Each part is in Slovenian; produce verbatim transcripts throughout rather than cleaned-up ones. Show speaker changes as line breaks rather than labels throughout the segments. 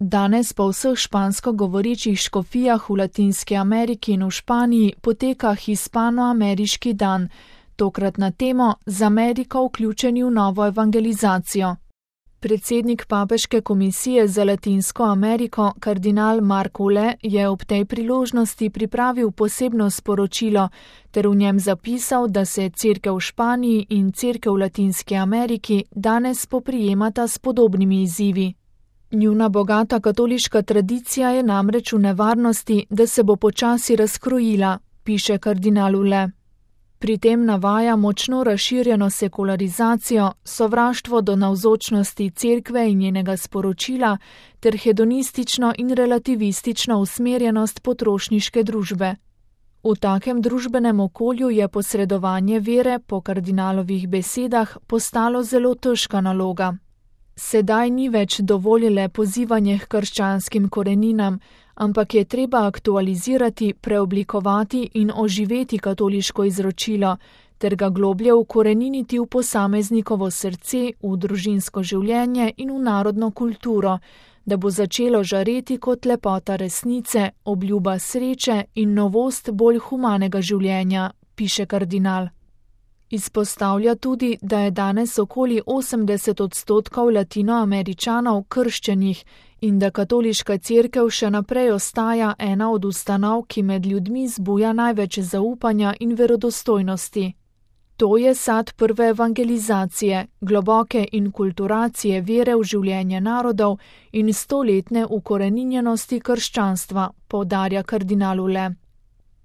Danes po vseh špansko govorečih škofijah v Latinski Ameriki in v Španiji poteka Hispanoameriški dan, tokrat na temo Z Ameriko vključeni v novo evangelizacijo. Predsednik Papeške komisije za Latinsko Ameriko, kardinal Mark Ule, je ob tej priložnosti pripravil posebno sporočilo ter v njem zapisal, da se cerkev v Španiji in cerkev v Latinski Ameriki danes spoprijemata s podobnimi izzivi. Njuna bogata katoliška tradicija je namreč v nevarnosti, da se bo počasi razkrojila, piše kardinal Ule. Pri tem navaja močno razširjeno sekularizacijo, sovraštvo do navzočnosti cerkve in njenega sporočila ter hedonistično in relativistično usmerjenost potrošniške družbe. V takem družbenem okolju je posredovanje vere, po kardinalovih besedah, postalo zelo težka naloga. Sedaj ni več dovolj le pozivanje k krščanskim koreninam, ampak je treba aktualizirati, preoblikovati in oživeti katoliško izročilo, ter ga globlje ukoreniniti v posameznikovo srce, v družinsko življenje in v narodno kulturo, da bo začelo žareti kot lepota resnice, obljuba sreče in novost bolj humanega življenja, piše kardinal. Izpostavlja tudi, da je danes okoli osemdeset odstotkov Latinoameričanov krščenih in da katoliška cerkev še naprej ostaja ena od ustanov, ki med ljudmi zbuja največ zaupanja in verodostojnosti. To je sad prve evangelizacije, globoke inkulturacije vere v življenje narodov in stoletne ukoreninjenosti krščanstva, poudarja kardinal Ule.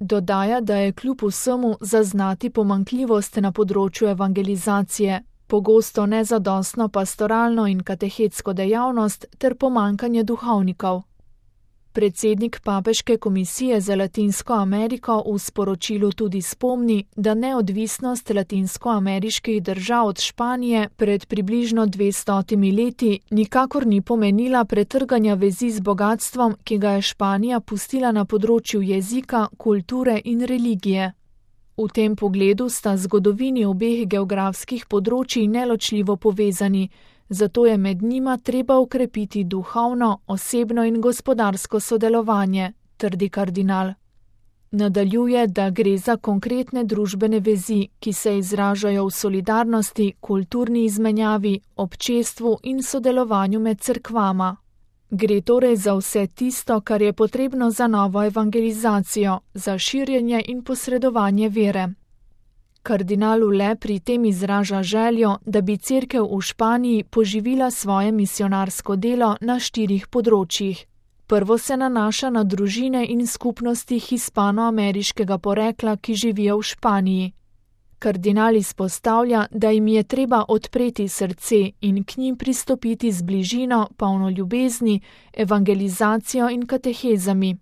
Dodaja, da je kljub vsemu zaznati pomanjkljivost na področju evangelizacije, pogosto nezadostno pastoralno in katehetsko dejavnost ter pomanjkanje duhovnikov. Predsednik Papeške komisije za Latinsko Ameriko v sporočilu tudi spomni, da neodvisnost latinskoameriških držav od Španije pred približno dvestotimi leti nikakor ni pomenila pretrganja vezi z bogatstvom, ki ga je Španija pustila na področju jezika, kulture in religije. V tem pogledu sta zgodovini obeh geografskih področij neločljivo povezani, zato je med njima treba ukrepiti duhovno, osebno in gospodarsko sodelovanje, trdi kardinal. Nadaljuje, da gre za konkretne družbene vezi, ki se izražajo v solidarnosti, kulturni izmenjavi, občestvu in sodelovanju med cerkvama. Gre torej za vse tisto, kar je potrebno za novo evangelizacijo, za širjenje in posredovanje vere. Kardinal Ule pri tem izraža željo, da bi cerkev v Španiji poživila svoje misionarsko delo na štirih področjih. Prvo se nanaša na družine in skupnosti hispanoameriškega porekla, ki živijo v Španiji. Kardinal izpostavlja, da jim je treba odpreti srce in k njim pristopiti z bližino, polno ljubezni, evangelizacijo in katehezami.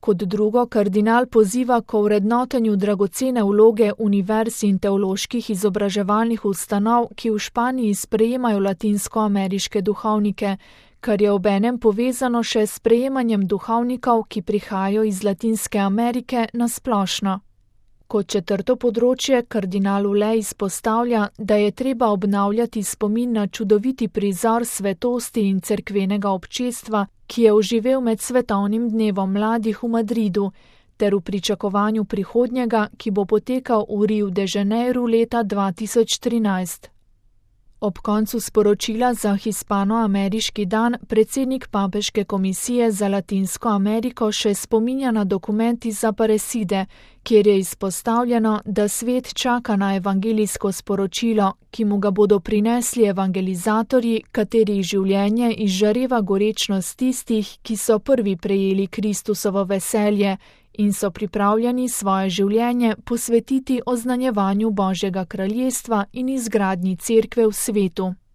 Kot drugo, kardinal poziva k ovrednotenju dragocene vloge univerz in teoloških izobraževalnih ustanov, ki v Španiji sprejemajo latinskoameriške duhovnike, kar je obenem povezano še s sprejemanjem duhovnikov, ki prihajajo iz Latinske Amerike na splošno. Kot četrto področje kardinal Ule izpostavlja, da je treba obnavljati spomin na čudoviti prizor svetosti in cerkvenega občestva, ki je oživel med svetovnim dnevom mladih v Madridu, ter v pričakovanju prihodnjega, ki bo potekal v Rio de Janeiro leta dva tisoč trinajst. Ob koncu sporočila za Hispanoameriški dan predsednik Papeške komisije za Latinsko Ameriko še spominja na dokument iz Aparecide, kjer je izpostavljeno, da svet čaka na evangelijsko sporočilo, ki mu ga bodo prinesli evangelizatorji, katerih življenje izžareva gorečnost tistih, ki so prvi prejeli Kristusovo veselje in so pripravljeni svoje življenje posvetiti oznanjevanju Božjega kraljestva in izgradnji cerkve v svetu.